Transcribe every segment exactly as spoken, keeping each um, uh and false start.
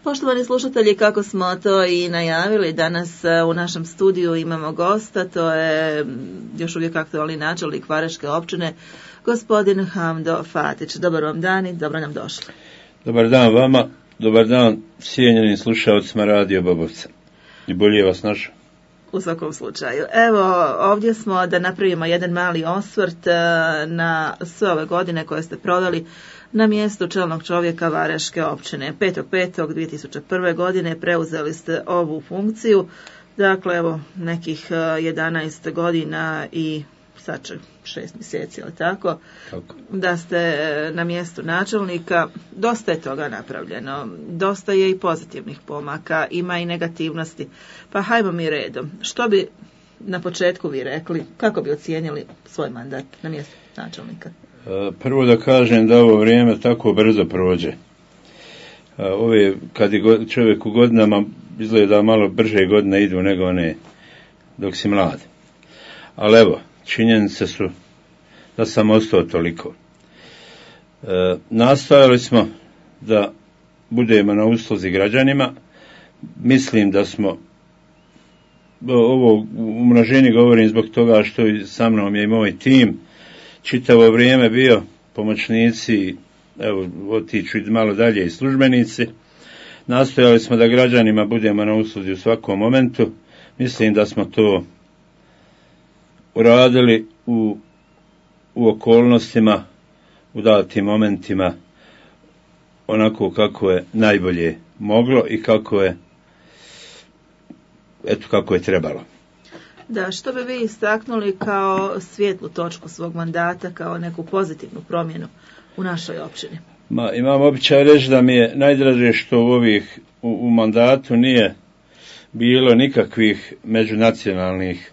Poštovani slušatelji, kako smo to i najavili, danas u našem studiju imamo gosta, to je još uvijek aktualni načelnik Vareške općine, gospodin Hamdo Fatić. Dobar vam dan i dobro nam došli. Dobar dan vama, dobar dan cijenjenim slušalcima Radio Bobovca. I bolje vas našao. U svakom slučaju. Evo, ovdje smo da napravimo jedan mali osvrt na sve ove godine koje ste proveli na mjestu čelnog čovjeka Vareške općine. petog petog dvije tisuće prve. godine preuzeli ste ovu funkciju, dakle evo nekih jedanaest godina i sad će šest mjeseci, ali tako, tako, da ste na mjestu načelnika. Dosta je toga napravljeno, dosta je i pozitivnih pomaka, ima i negativnosti. Pa hajmo mi redom. Što bi na početku vi rekli, kako bi ocijenili svoj mandat na mjestu načelnika? Prvo da kažem da ovo vrijeme tako brzo prođe. Ove, kad je čovjek u godinama, izgleda malo brže godine idu nego one dok si mlad. Ali evo, činjenice su da sam ostao toliko. E, nastojali smo da budemo na usluzi građanima. Mislim da smo, ovo u množini govorim zbog toga što sa mnom je i moj tim čitavo vrijeme bio pomoćnici, evo otiću malo dalje i službenici. Nastojali smo da građanima budemo na usluzi u svakom momentu. Mislim da smo to uradili u, u okolnostima, u datim momentima, onako kako je najbolje moglo i kako je, eto kako je trebalo. Da, što bi vi istaknuli kao svijetlu točku svog mandata, kao neku pozitivnu promjenu u našoj općini? Ma, imam običaj reći da mi je najdraže što u ovih u, u mandatu nije bilo nikakvih međunacionalnih,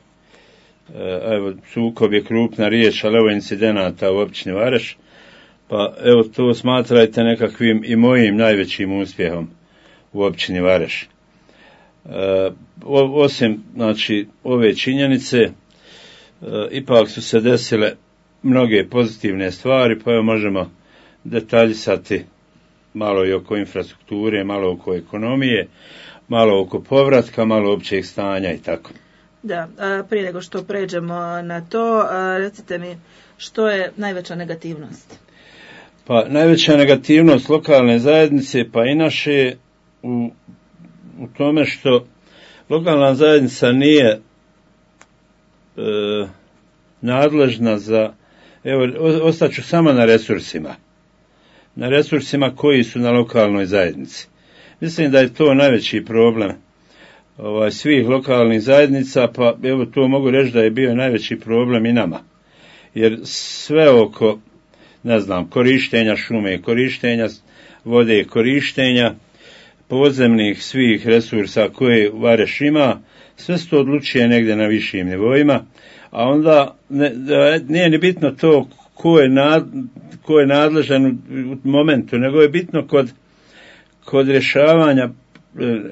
evo, sukob je krupna riječ, ali evo incidenata u općini Vareš, pa evo to smatrajte nekakvim i mojim najvećim uspjehom u općini Vareš. E, osim, znači, ove činjenice, e, ipak su se desile mnoge pozitivne stvari, pa evo možemo detaljisati malo i oko infrastrukture, malo oko ekonomije, malo oko povratka, malo općeg stanja i tako. Da, prije nego što pređemo na to, recite mi što je najveća negativnost? Pa najveća negativnost lokalne zajednice, pa i naše, u, u tome što lokalna zajednica nije e, nadležna za, evo, ostaću samo na resursima, na resursima koji su na lokalnoj zajednici. Mislim da je to najveći problem ovaj, svih lokalnih zajednica, pa evo to mogu reći da je bio najveći problem i nama. Jer sve oko, ne znam, korištenja šume, korištenja vode, korištenja podzemnih svih resursa koje Vareš ima, sve se to odlučuje negdje na višim nivoima, a onda ne, nije ni bitno to ko je, nad, ko je nadležan u, u momentu, nego je bitno kod, kod rješavanja,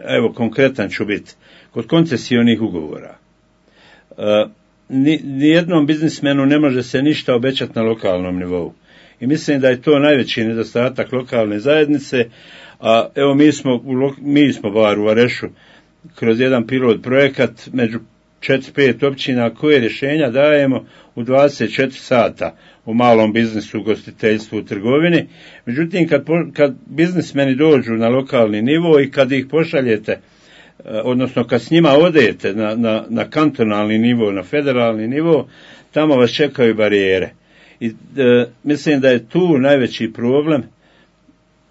evo konkretan ću biti, kod koncesionih ugovora. E, ni, nijednom biznismenu ne može se ništa obećati na lokalnom nivou. I mislim da je to najveći nedostatak lokalne zajednice, a evo mi smo, mi smo bar u Varešu kroz jedan pilot projekat među četiri pet općina koje rješenja dajemo u dvadeset četiri sata u malom biznisu, ugostiteljstvu, u trgovini. Međutim, kad, kad biznismeni dođu na lokalni nivo i kad ih pošaljete, odnosno kad s njima odete na, na, na kantonalni nivo, na federalni nivo, tamo vas čekaju barijere. I e, mislim da je tu najveći problem,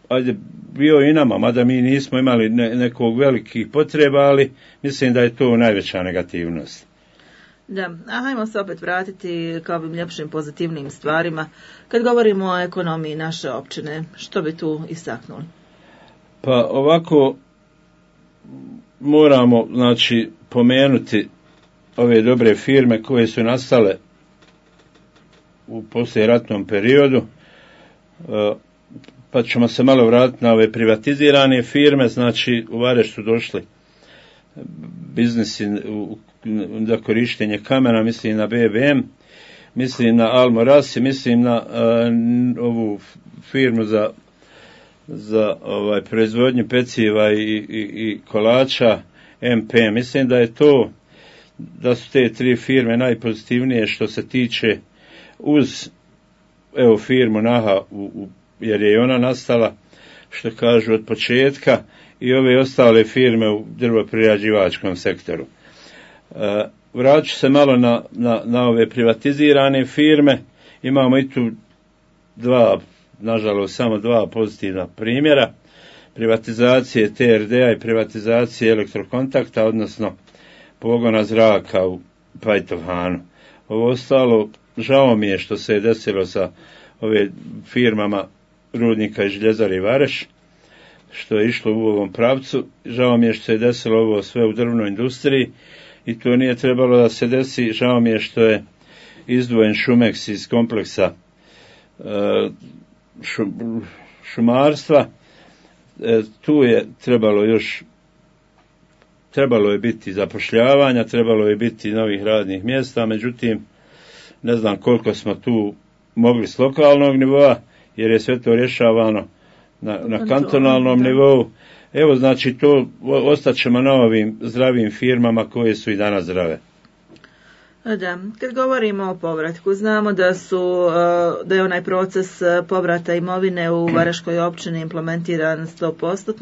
ajde, bio i nama, mada mi nismo imali ne, nekog velikih potreba, ali mislim da je to najveća negativnost. Da, a hajmo se opet vratiti kao ovim ljepšim pozitivnim stvarima. Kad govorimo o ekonomiji naše općine, što bi tu istaknuli? Pa ovako moramo, znači, pomenuti ove dobre firme koje su nastale u poslijeratnom periodu, pa ćemo se malo vratiti na ove privatizirane firme. Znači u Vareš su došli biznisi za korištenje kamena, mislim na B B M, mislim na Almo Rasi, mislim na uh, ovu firmu za za ovaj proizvodnju peciva i, i, i kolača M P. Mislim da je to, da su te tri firme najpozitivnije što se tiče uz evo firmu Naha u, u, jer je i ona nastala što kažu od početka i ove ostale firme u drvoprerađivačkom sektoru. E, vratit ću se malo na, na, na ove privatizirane firme. Imamo i tu dva, nažalost samo dva pozitivna primjera, privatizacije T R D-a i privatizacije Elektrokontakta, odnosno pogona zraka u Pajtovhanu. Ovo ostalo, žao mi je što se je desilo sa ove firmama Rudnika i Željezari Vareš, što je išlo u ovom pravcu. Žao mi je što se je desilo ovo sve u drvnoj industriji i to nije trebalo da se desi. Žao mi je što je izdvojen Šumeks iz kompleksa šumarstva. Tu je trebalo još trebalo je biti zapošljavanja, trebalo je biti novih radnih mjesta, međutim ne znam koliko smo tu mogli s lokalnog nivoa, jer je sve to rješavano na, na kantonalnom nivou. Evo, znači, to ostaćemo na ovim zdravim firmama koje su i danas zdrave. Da, kad govorimo o povratku, znamo da su, da je onaj proces povrata imovine u Varaškoj općini implementiran sto posto.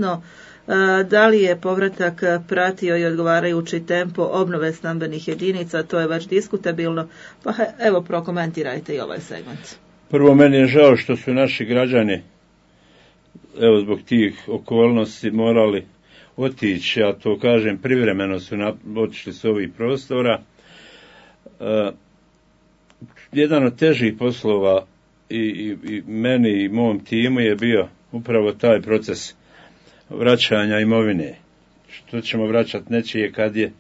Da li je povratak pratio i odgovarajući tempo obnove stambenih jedinica, to je već diskutabilno, pa evo prokomentirajte i ovaj segment. Prvo, meni je žao što su naši građani, evo zbog tih okolnosti, morali otići, ja to kažem, privremeno su otišli s ovih prostora. Uh, jedan od težih poslova i, i, i meni i mom timu je bio upravo taj proces vraćanja imovine. Što ćemo vraćati nečije kad je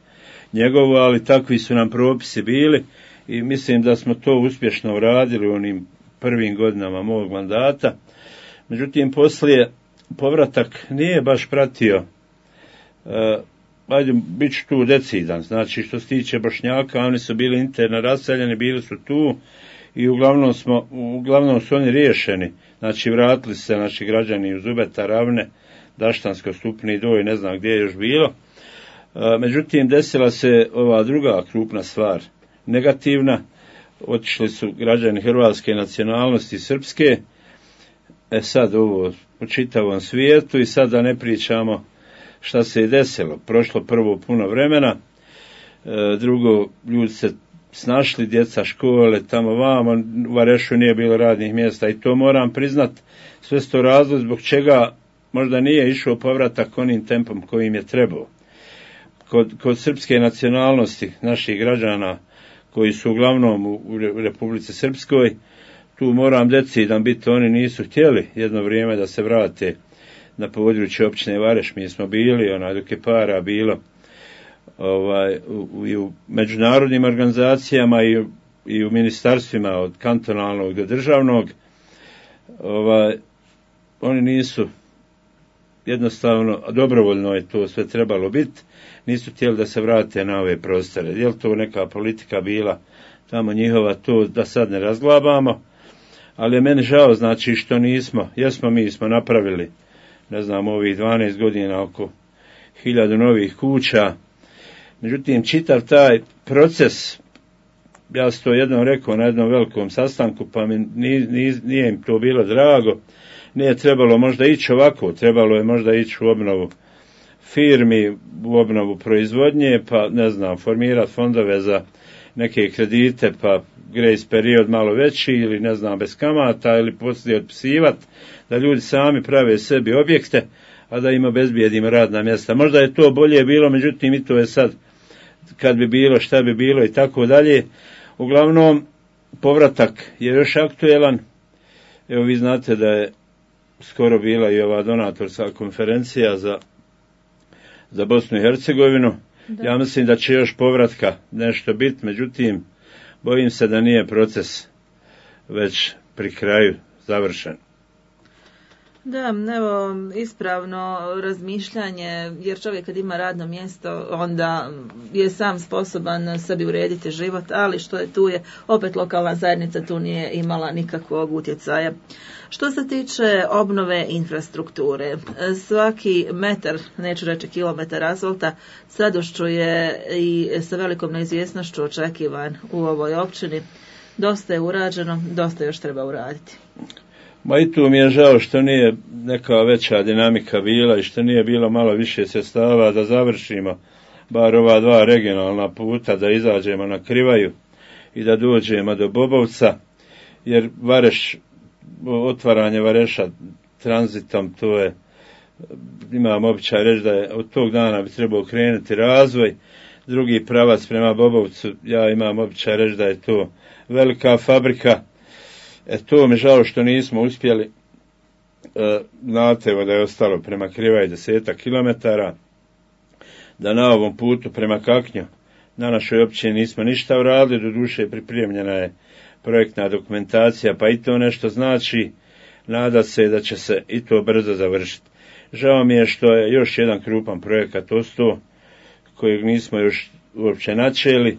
njegovo, ali takvi su nam propisi bili i mislim da smo to uspješno uradili u onim prvim godinama mog mandata. Međutim, poslije povratak nije baš pratio, uh, ajde, bit ću tu decidan, znači što se tiče Bošnjaka, oni su bili interno raseljeni, bili su tu i uglavnom, smo, uglavnom su oni riješeni, znači vratili se naši građani u Zubeta, Ravne, Daštansko, Stupni, Doj, ne znam gdje je još bilo. A, međutim, desila se ova druga krupna stvar, negativna, otišli su građani hrvatske nacionalnosti, srpske, e sad ovo po čitavom svijetu i sad da ne pričamo šta se je desilo. Prošlo prvo puno vremena, e, drugo, ljudi se snašli, djeca škole, tamo vamo, u Varešu nije bilo radnih mjesta i to moram priznat, sve sto razlog zbog čega možda nije išao povratak onim tempom kojim je trebao. Kod, kod srpske nacionalnosti naših građana koji su uglavnom u, u Republici Srpskoj, tu moram decidan biti, oni nisu htjeli jedno vrijeme da se vrate na području općine Vareš. Mi smo bili, onaj dok je para bilo ovaj, u, i u međunarodnim organizacijama i u, i u ministarstvima od kantonalnog do državnog, ovaj, oni nisu jednostavno, dobrovoljno je to sve trebalo biti, nisu htjeli da se vrate na ove prostore. Je li to neka politika bila tamo njihova, to da sad ne razglabamo, ali je meni žao, znači, što nismo, jesmo mi smo napravili, ne znam, ovih dvanaest godina oko hiljadu novih kuća. Međutim, čitav taj proces, ja sam to jednom rekao na jednom velikom sastanku, pa mi nije, nije im to bilo drago, nije trebalo možda ići ovako, trebalo je možda ići u obnovu firmi, u obnovu proizvodnje, pa ne znam, formirati fondove za neke kredite, pa grace period malo veći ili ne znam, bez kamata ili poslije otpisivati, da ljudi sami prave sebi objekte, a da im obezbijedimo radna mjesta. Možda je to bolje bilo, međutim i to je sad kad bi bilo, šta bi bilo i tako dalje. Uglavnom, povratak je još aktuelan. Evo, vi znate da je skoro bila i ova donatorska konferencija za, za Bosnu i Hercegovinu. Da. Ja mislim da će još povratka nešto biti, međutim, bojim se da nije proces već pri kraju završen. Da, evo, ispravno razmišljanje, jer čovjek kad ima radno mjesto, onda je sam sposoban sebi urediti život, ali što je tu je, opet lokalna zajednica tu nije imala nikakvog utjecaja. Što se tiče obnove infrastrukture, svaki metar, neću reći kilometar asfalta, s radošću je i sa velikom neizvjesnošću očekivan u ovoj općini. Dosta je urađeno, dosta još treba uraditi. Ma i tu mi je žao što nije neka veća dinamika bila i što nije bilo malo više sredstava da završimo bar ova dva regionalna puta, da izađemo na Krivaju i da dođemo do Bobovca, jer Vareš, otvaranje Vareša tranzitom, to je, imam običaj reći da je od tog dana bi trebao krenuti razvoj. Drugi pravac prema Bobovcu, ja imam običaj reći da je to velika fabrika. E to mi žao što nismo uspjeli. E, znate da je ostalo prema Krivaj desetak kilometara, da na ovom putu prema Kaknju na našoj općini nismo ništa uradili, doduše pripremljena je projektna dokumentacija, pa i to nešto znači. Nada se da će se i to brzo završiti. Žao mi je što je još jedan krupan projekat ostao, kojeg nismo još uopće načeli.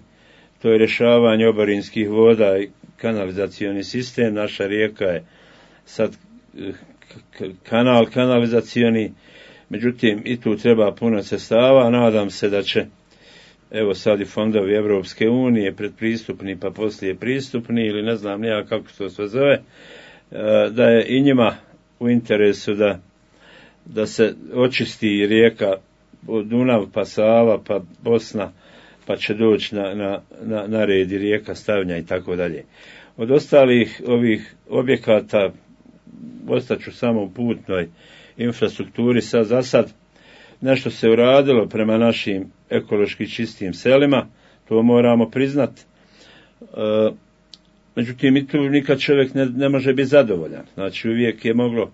To je rješavanje oborinskih voda i kanalizacioni sistem. Naša rijeka je sad kanal kanalizacioni, međutim i tu treba puno sredstava. Nadam se da će, evo sad i fondovi Evropske unije, predpristupni pa poslije pristupni, ili ne znam nija kako se to sve zove, da je i njima u interesu da, da se očisti rijeka od Dunav pa Sava pa Bosna, pa će doći na, na, na, na red i rijeka Stavnja i tako dalje. Od ostalih ovih objekata ostaću samo u putnoj infrastrukturi. Sad za sad nešto se uradilo prema našim ekološki čistim selima, to moramo priznati. E, međutim, i tu nikad čovjek ne, ne može biti zadovoljan. Znači, uvijek je moglo,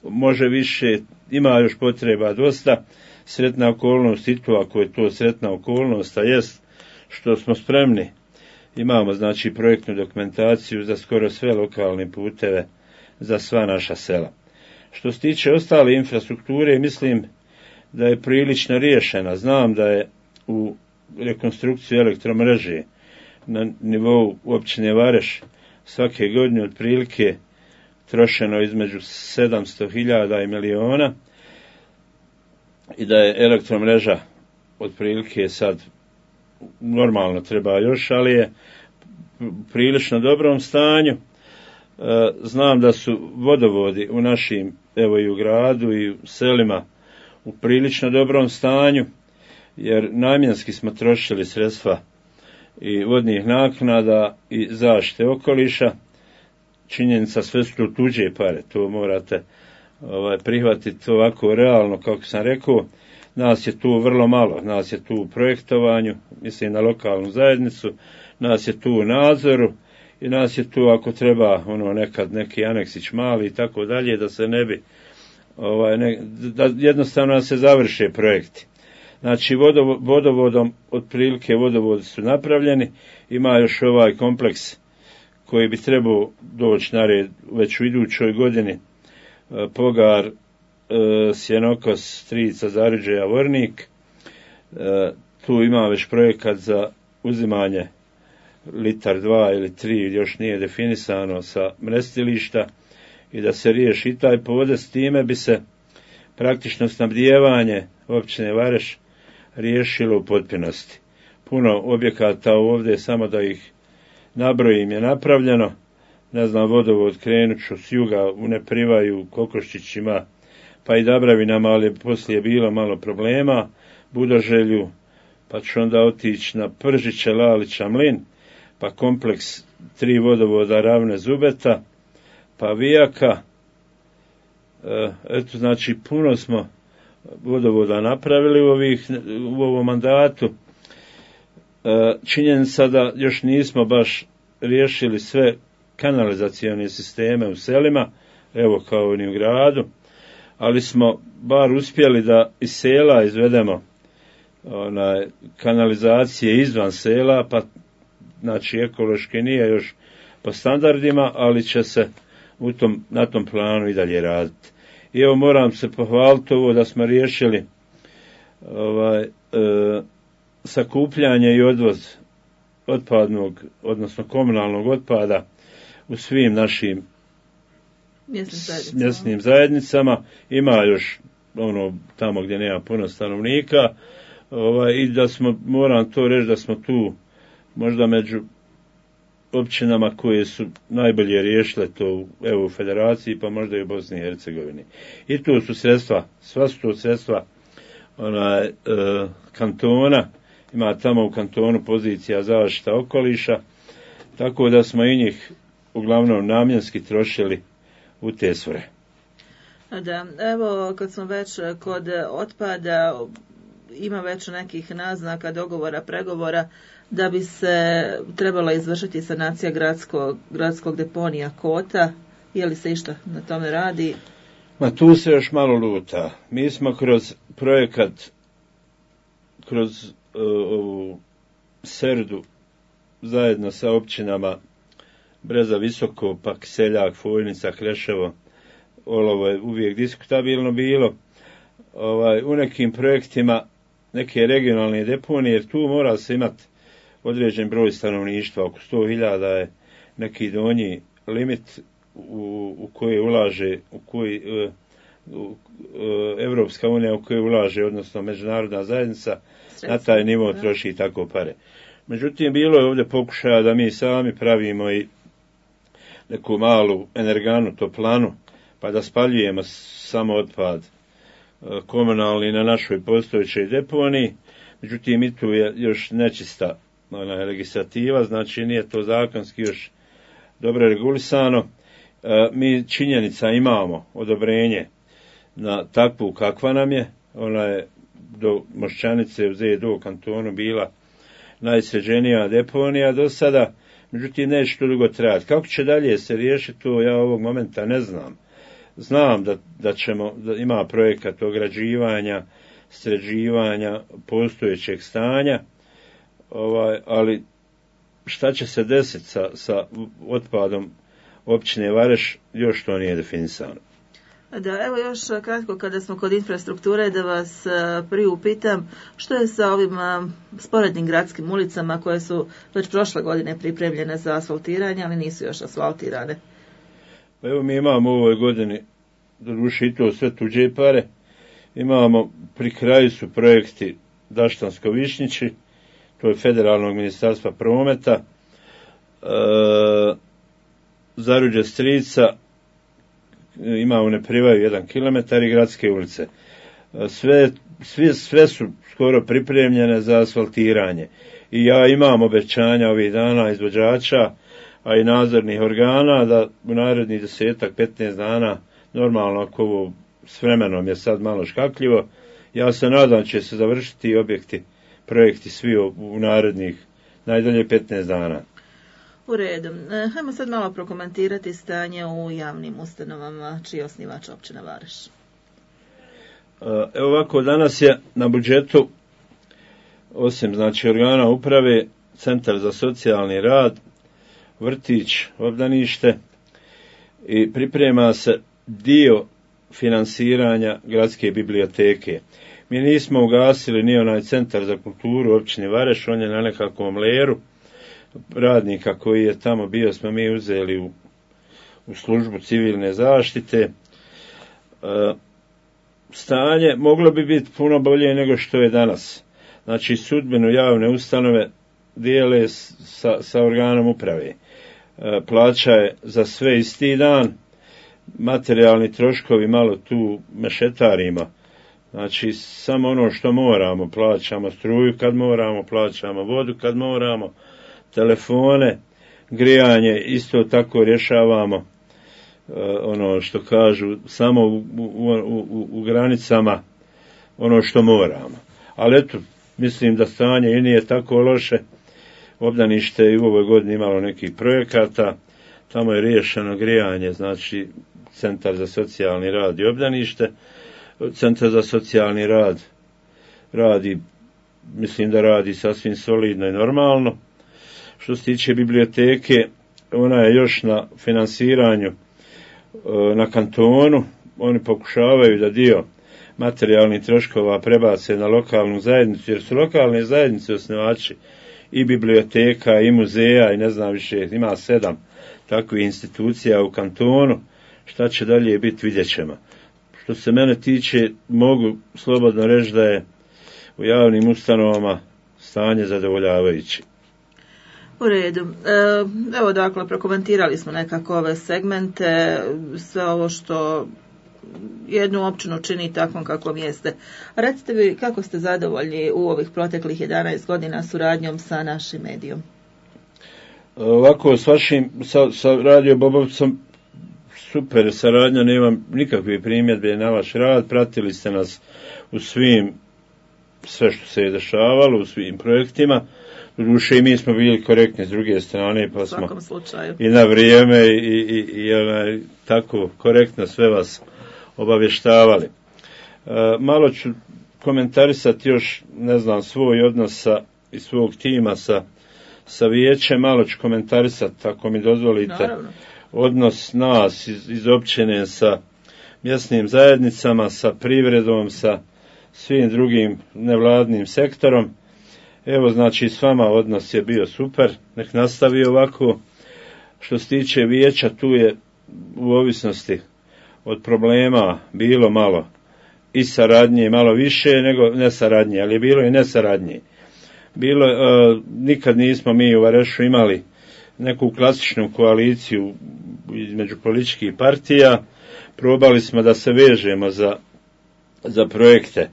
može više, ima još potreba dosta. Sretna okolnost i to, ako je to sretna okolnost, a jest što smo spremni. Imamo, znači, projektnu dokumentaciju za skoro sve lokalne puteve, za sva naša sela. Što se tiče ostale infrastrukture, mislim da je prilično riješena. Znam da je u rekonstrukciju elektromreže na nivou općine Vareš svake godine otprilike trošeno između sedamsto hiljada i miliona, i da je elektromreža otprilike sad normalno treba još, ali je u prilično dobrom stanju. Znam da su vodovodi u našim, evo i u gradu i u selima, u prilično dobrom stanju, jer namjenski smo trošili sredstva i vodnih naknada i zaštite okoliša. Činjenica, sve su tu tuđe pare, to morate ovaj, prihvatiti ovako realno, kako sam rekao. Nas je tu vrlo malo, nas je tu u projektovanju, mislim na lokalnu zajednicu, nas je tu u nadzoru i nas je tu ako treba ono nekad neki aneksić mali i tako dalje, da se ne bi ovaj, ne, da jednostavno se završe projekti. Znači vodov, vodovodom, otprilike vodovodi su napravljeni, ima još ovaj kompleks koji bi trebao doći na red već u idućoj godini, Pogar, Sjenokos, Strica, Zariđeja, Vornik. Tu ima već projekat za uzimanje litar dva ili tri, još nije definisano, sa mrestilišta, i da se riješi i taj podes. Time bi se praktično snabdijevanje općine Vareš riješilo u potpunosti. Puno objekata ovdje, samo da ih nabrojim, je napravljeno. Ne znam, vodovod krenut ću s juga u Neprivaju, Kokoščićima, pa i Dabravinama, ali poslije je bilo malo problema, Budoželju, pa ću onda otići na Pržiće, Lalića, Mlin, pa kompleks tri vodovoda Ravne, Zubeta, pa Vijaka. Eto, znači, puno smo vodovoda napravili u, ovih, u ovom mandatu. Činjenica da još nismo baš riješili sve kanalizacione sisteme u selima, evo kao i u gradu, ali smo bar uspjeli da iz sela izvedemo onaj, kanalizacije izvan sela, pa znači ekološki nije još po standardima, ali će se u tom, na tom planu i dalje raditi. I evo moram se pohvaliti ovo da smo riješili ovaj, e, sakupljanje i odvoz otpadnog, odnosno komunalnog otpada u svim našim mjesnim zajednicama. S mjesnim zajednicama. Ima još ono tamo gdje nema puno stanovnika. Ovaj, i da smo, moram to reći da smo tu možda među općinama koje su najbolje riješile to u E U federaciji, pa možda i u Bosni i Hercegovini. I tu su sredstva, sva su to sredstva ona, e, kantona, ima tamo u kantonu pozicija zaštita okoliša, tako da smo i njih uglavnom namjenski trošili u te svrhe. Da, evo kad smo već kod otpada, ima već nekih naznaka, dogovora, pregovora da bi se trebala izvršiti sanacija gradskog, gradskog deponija Kota. Je li se išta na tome radi? Ma tu se još malo luta. Mi smo kroz projekat, kroz uh, ovu Serdu, zajedno sa općinama Breza Visoko, pa Seljak, Foljnica, Kreševo, Olovo je uvijek diskutabilno bilo. Ovaj, u nekim projektima neke regionalne deponije, jer tu mora se imati određen broj stanovništva, oko sto hiljada je neki donji limit u, u koji ulaže, u koji u, u, Evropska unija u koji ulaže, odnosno međunarodna zajednica, na taj nivo troši tako pare. Međutim, bilo je ovdje pokušaja da mi sami pravimo i neku malu energanu, toplanu, pa da spaljujemo samo otpad komunalni na našoj postojećoj deponiji. Međutim, i tu je još nečista ona legislativa, znači nije to zakonski još dobro regulisano. E, mi činjenica imamo odobrenje na takvu kakva nam je, ona je do Moščanice u Zedu kantonu bila najsređenija deponija do sada, međutim neće to dugo trajati. Kako će dalje se riješiti to, ja ovog momenta ne znam. Znam da, da, ćemo, da ima projekat ograđivanja, sređivanja postojećeg stanja, ovaj, ali šta će se desiti sa, sa otpadom općine Vareš, još to nije definisano. Da, evo još kratko kada smo kod infrastrukture da vas priupitam što je sa ovim sporednim gradskim ulicama koje su već prošle godine pripremljene za asfaltiranje, ali nisu još asfaltirane. Pa evo mi imamo u ovoj godini, doduše i to sve tuđe pare, imamo pri kraju su projekti Daštansko-Višnjići, to je Federalnog ministarstva prometa, e, Zaruđe Strica, ima u Neprivaju jedan kilometar i gradske ulice. Sve, sve, sve su skoro pripremljene za asfaltiranje. I ja imam obećanja ovih dana izvođača, a i nadzornih organa da u narednih desetak, petnaest dana, normalno ako ovo s vremenom je sad malo škakljivo, ja se nadam će se završiti objekti, projekti svi u narednih najdalje petnaest dana. U redu. Hajmo sad malo prokomentirati stanje u javnim ustanovama čiji je osnivač općina Vareš. Evo ovako, danas je na budžetu, osim znači organa uprave, Centar za socijalni rad, vrtić, obdanište i priprema se dio finansiranja gradske biblioteke. Mi nismo ugasili ni onaj Centar za kulturu u općini Vareš, on je na nekakvom leru. Radnika koji je tamo bio smo mi uzeli u, u službu civilne zaštite. E, stanje moglo bi biti puno bolje nego što je danas. Znači sudbinu javne ustanove dijele sa, sa organom uprave. E, plaća je za sve isti dan, materijalni troškovi malo tu mešetarima. Znači samo ono što moramo, plaćamo struju kad moramo, plaćamo vodu kad moramo, telefone, grijanje isto tako rješavamo, uh, ono što kažu, samo u, u, u, u granicama ono što moramo. Ali eto, mislim da stanje i nije tako loše. Obdanište i u ovoj godini imalo nekih projekata, tamo je riješeno grijanje, znači Centar za socijalni rad i obdanište. Centar za socijalni rad radi, mislim da radi sasvim solidno i normalno. Što se tiče biblioteke, ona je još na finansiranju na kantonu. Oni pokušavaju da dio materijalnih troškova prebace na lokalnu zajednicu, jer su lokalne zajednice osnivači i biblioteka i muzeja i ne znam više, ima sedam takvih institucija u kantonu, šta će dalje biti, vidjet ćemo. Što se mene tiče, mogu slobodno reći da je u javnim ustanovama stanje zadovoljavajuće. U redu. Evo dakle, prokomentirali smo nekako ove segmente, sve ovo što jednu općinu čini takvom kakvom jeste. A recite vi, kako ste zadovoljni u ovih proteklih jedanaest godina suradnjom sa našim medijom? Ovako, s vašim, sa, sa Radio Bobovcom, super saradnja, nemam nikakve primjedbe na vaš rad, pratili ste nas u svim, sve što se je dešavalo, u svim projektima. Doduše i mi smo bili korektni s druge strane, pa smo i na vrijeme i, i, i onaj, tako korektno sve vas obavještavali. E, malo ću komentarisati još, ne znam, svoj odnos sa, i svog tima sa, sa vijećem, malo ću komentarisati, ako mi dozvolite, naravno, odnos nas iz, iz općine sa mjesnim zajednicama, sa privredom, sa svim drugim nevladnim sektorom. Evo, znači, s vama odnos je bio super, nek nastavi ovako. Što se tiče vijeća, tu je u ovisnosti od problema bilo malo i saradnje, malo više nego nesaradnje, ali je bilo i nesaradnje. Bilo, e, nikad nismo mi u Varešu imali neku klasičnu koaliciju između političkih partija. Probali smo da se vežemo za, za projekte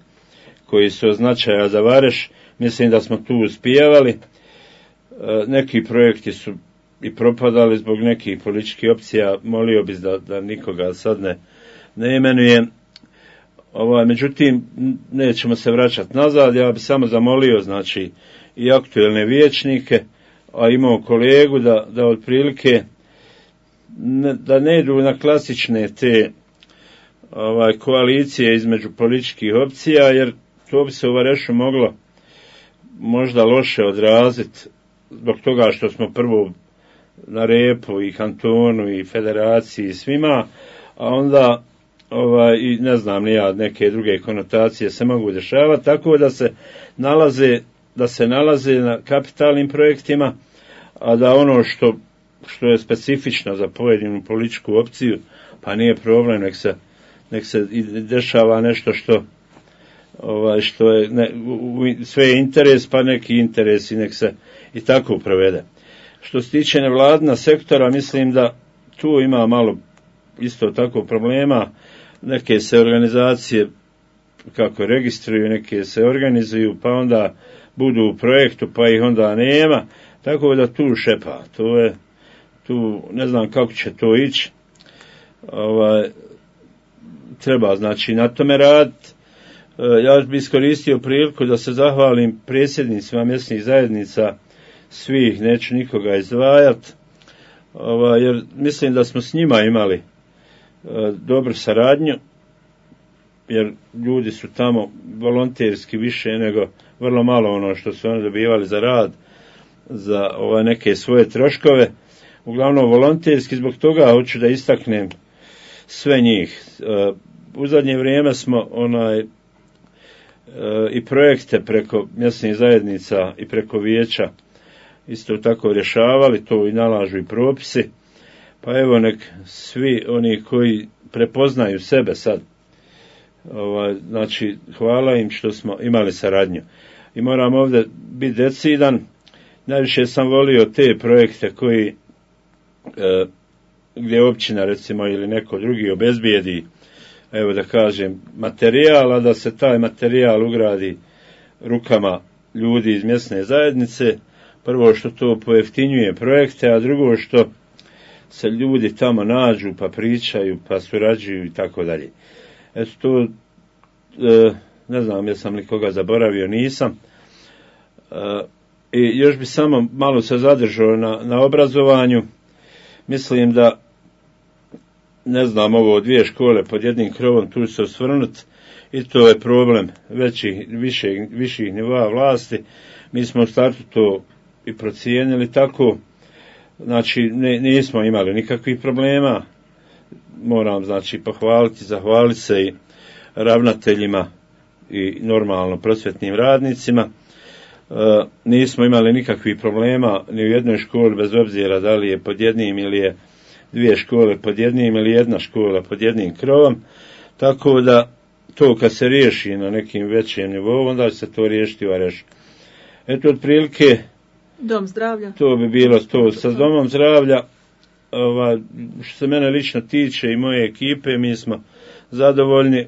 koji su od značaja za Vareš. Mislim da smo tu uspijevali. E, neki projekti su i propadali zbog nekih političkih opcija. Molio bih da, da nikoga sad ne, ne imenujem. Ovaj, međutim, nećemo se vraćati nazad. Ja bih samo zamolio, znači, i aktuelne vijećnike, a imao kolegu da, da otprilike ne, da ne idu na klasične te ovaj, koalicije između političkih opcija, jer to bi se u Varešu moglo možda loše odraziti zbog toga što smo prvo na repu i kantonu i federaciji i svima, a onda ovaj, i ne znam ni ja, neke druge konotacije se mogu dešavati, tako da se nalaze da se nalaze na kapitalnim projektima, a da ono što, što je specifično za pojedinu političku opciju, pa nije problem, nek se, nek se i dešava nešto što ovaj, što je ne, u, sve je interes, pa neki interes i nek se i tako provede. Što se tiče nevladina sektora, mislim da tu ima malo isto tako problema. Neke se organizacije kako registruju, neke se organizuju, pa onda budu u projektu, pa ih onda nema, tako da tu šepa. To je, tu ne znam kako će to ići. Ovaj, treba znači na tome raditi. Ja bih iskoristio priliku da se zahvalim predsjednicima mjesnih zajednica svih, neću nikoga izdvajati, ovaj, jer mislim da smo s njima imali e, dobru saradnju, jer ljudi su tamo volonterski više nego vrlo malo ono što su oni dobivali za rad, za ovaj, neke svoje troškove, uglavnom volonterski. Zbog toga hoću da istaknem sve njih. E, u zadnje vrijeme smo onaj i projekte preko mjesnih zajednica i preko vijeća isto tako rješavali, to i nalažu i propisi, pa evo nek svi oni koji prepoznaju sebe sad, ovaj, znači hvala im što smo imali saradnju. I moram ovdje biti decidan, najviše sam volio te projekte koji e, gdje općina recimo ili neko drugi obezbijedi, evo da kažem, materijal, a da se taj materijal ugradi rukama ljudi iz mjesne zajednice. Prvo što to pojeftinjuje projekte, a drugo što se ljudi tamo nađu, pa pričaju, pa surađuju i tako dalje. Eto to, e, ne znam jesam li koga zaboravio, nisam. E, I još bi samo malo se zadržao na, na obrazovanju. Mislim da ne znam, ovo dvije škole pod jednim krovom, tu se osvrnuti, i to je problem većih, viših, viših nivoa vlasti. Mi smo u startu to i procijenili tako, znači ne, nismo imali nikakvih problema. Moram znači pohvaliti, zahvaliti se i ravnateljima i normalno prosvjetnim radnicima. E, nismo imali nikakvih problema ni u jednoj školi, bez obzira da li je pod jednim ili je dvije škole pod jednim ili jedna škola pod jednim krovom, tako da to kad se riješi na nekim većim nivou, onda će se to riješiti u Varešu. Eto, otprilike dom zdravlja. To bi bilo to sa domom zdravlja. Ova, što se mene lično tiče i moje ekipe, mi smo zadovoljni.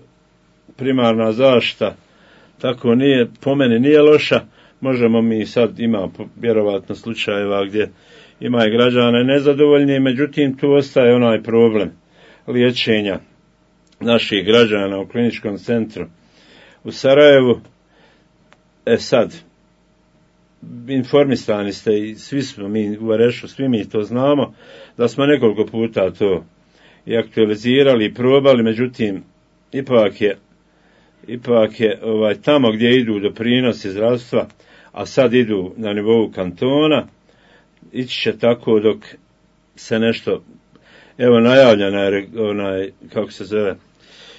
Primarna zaštita tako nije, po meni nije loša. Možemo mi sad, ima vjerovatno slučajeva gdje ima i građana nezadovoljni, međutim tu ostaje onaj problem liječenja naših građana u kliničkom centru u Sarajevu. E sad, informisani ste i svi smo mi u Varešu, svi mi to znamo, da smo nekoliko puta to i aktualizirali i probali, međutim ipak je ipak je ovaj, tamo gdje idu doprinosi zdravstva, a sad idu na nivou kantona, ići će tako dok se nešto, evo najavljena je onaj, kako se zove,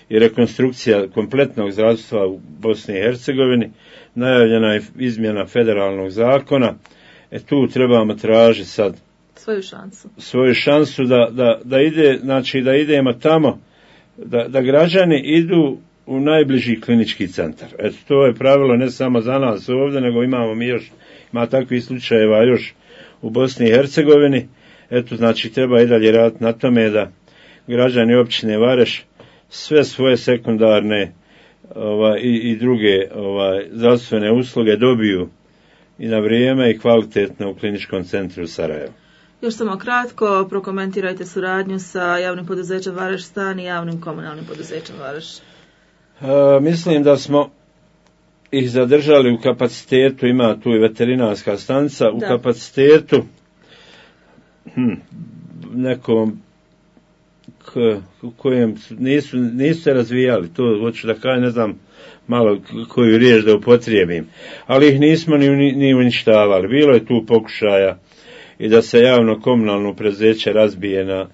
i rekonstrukcija kompletnog zdravstva u Bosni i Hercegovini, najavljena je izmjena federalnog zakona, e tu trebamo tražiti sad svoju šansu, svoju šansu da, da, da ide, znači da idemo tamo, da, da građani idu u najbliži klinički centar. Eto, to je pravilo ne samo za nas ovdje, nego imamo mi još, ima takvih slučajeva još u Bosni i Hercegovini. Eto, znači treba i dalje raditi na tome da građani općine Vareš sve svoje sekundarne ovaj, i, i druge ovaj, zdravstvene usluge dobiju i na vrijeme i kvalitetno u kliničkom centru u Sarajevu. Još samo kratko, prokomentirajte suradnju sa javnim poduzećem Vareš Stan i javnim komunalnim poduzećem Vareš. A, mislim da smo ih zadržali u kapacitetu, ima tu i veterinarska stanica, u da. kapacitetu hm, nekom k, u kojem nisu, nisu se razvijali, to hoću da kažem, ne znam malo koju riječ da upotrijebim, ali ih nismo ni, ni, ni uništavali. Bilo je tu pokušaja i da se javno komunalno preduzeće razbije na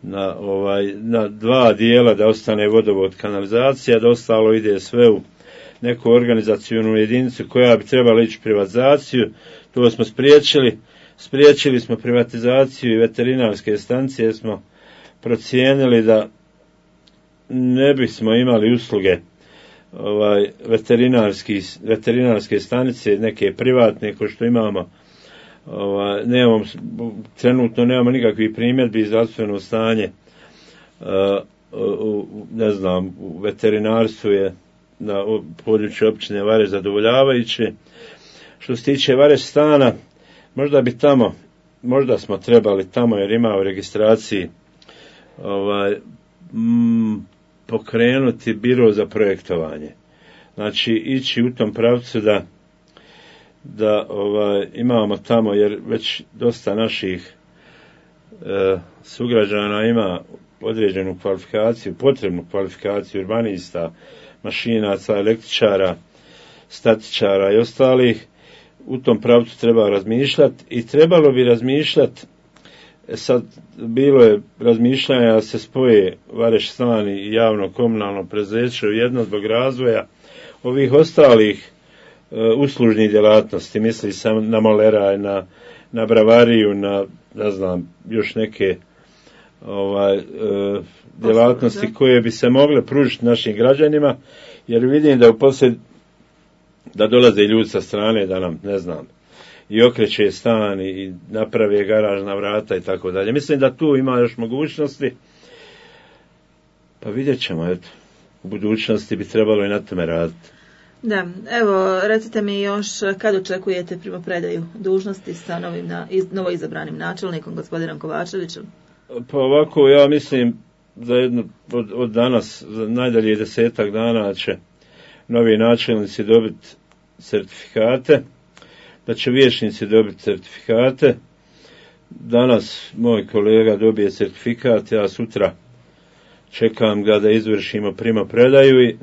na ovaj na dva dijela, da ostane vodovod, kanalizacija, da ostalo ide sve u neku organizacionu jedinicu koja bi trebala ići privatizaciju. To smo spriječili. Spriječili smo privatizaciju i veterinarske stanice, smo procijenili da ne bismo imali usluge ovaj veterinarski veterinarske stanice neke privatne kao što imamo. Ovaj, nemamo, trenutno nemamo nikakvih primjedbi iz zdravstveno stanje, uh, u, ne znam, u veterinarstvu je na području općine Vareš zadovoljavajuće. Što se tiče Vareš Stana, možda bi tamo, možda smo trebali tamo, jer ima u registraciji ovaj, m, pokrenuti biro za projektovanje. Znači, ići u tom pravcu da da ovaj, imamo tamo, jer već dosta naših e, sugrađana ima određenu kvalifikaciju, potrebnu kvalifikaciju urbanista, mašinaca, električara, statičara i ostalih. U tom pravcu treba razmišljati i trebalo bi razmišljati, sad bilo je razmišljanja da se spoje Vareš Stan i javno komunalno preduzeće u jedno zbog razvoja ovih ostalih uslužnih djelatnosti, misli sam na moleraj, na, na bravariju, na, ne znam, još neke ovaj, e, djelatnosti koje bi se mogle pružiti našim građanima, jer vidim da u poslije da dolaze ljudi sa strane da nam, ne znam, i okreće stan i naprave garažna vrata i tako dalje. Mislim da tu ima još mogućnosti, pa vidjet ćemo, eto, u budućnosti bi trebalo i na tome raditi. Da, evo, recite mi još kad očekujete primopredaju dužnosti sa novim na, iz, novoizabranim načelnikom, gospodinom Kovačevićem? Pa ovako, ja mislim za jedno, od, od danas, za najdalje desetak dana će novi načelnici dobiti certifikate, da će vijećnici dobiti certifikate. Danas moj kolega dobije certifikat, ja sutra čekam ga da izvršimo primopredaju i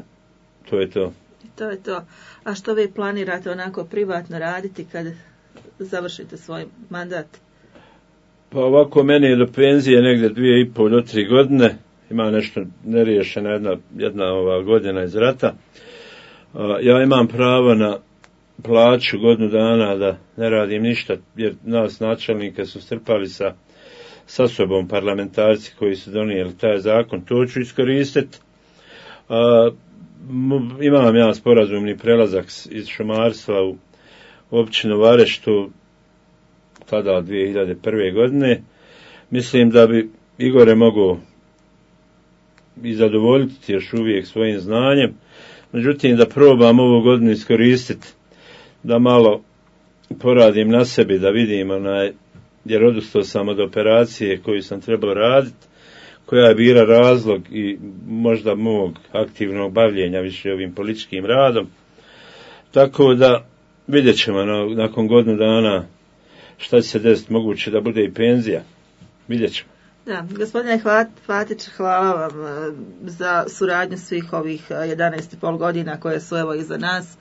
to je to. To je to. A što vi planirate onako privatno raditi kad završite svoj mandat? Pa ovako, meni je do penzije negdje dvije i pol do tri godine. Ima nešto neriješena jedna, jedna ova godina iz rata. Ja imam pravo na plaću godinu dana da ne radim ništa, jer nas načelnike su strpali sa sa sobom parlamentarci koji su donijeli taj zakon, to ću iskoristiti. Imam ja sporazumni prelazak iz šumarstva u općinu Vareštu tada dvije hiljade prve. godine. Mislim da bi Igore mogao i zadovoljiti još uvijek svojim znanjem, međutim da probam ovu godinu iskoristiti da malo poradim na sebi, da vidim onaj, jer odustao sam od operacije koju sam trebao raditi, koja je bila razlog i možda mog aktivnog bavljenja više ovim političkim radom. Tako da vidjet ćemo nakon godinu dana šta će se desiti, moguće da bude i penzija. Vidjet ćemo. Da, gospodine Fatić, hvala vam za suradnju svih ovih jedanaest i pol godina koje su evo iza nas.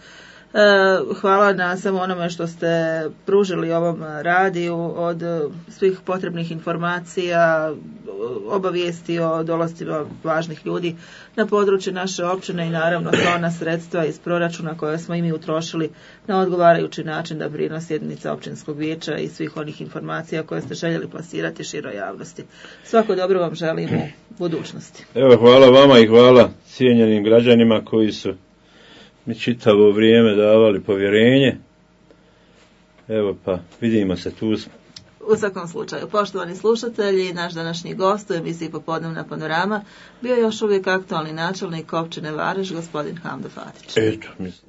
Hvala na samo onome što ste pružili ovom radiju, od svih potrebnih informacija, obavijesti o dolascima važnih ljudi na području naše općine i naravno sva ona sredstva iz proračuna koje smo i mi utrošili na odgovarajući način da brine sjednica općinskog vijeća i svih onih informacija koje ste željeli plasirati široj javnosti. Svako dobro vam želim u budućnosti. Evo, hvala vama i hvala cijenjenim građanima koji su mi čitavo vrijeme davali povjerenje. Evo pa, vidimo se, tu smo. U svakom slučaju, poštovani slušatelji, naš današnji gost u emisiji Popodnevna panorama bio je još uvijek aktualni načelnik općine Vareš, gospodin Hamdo Fatić. Eto, mislim.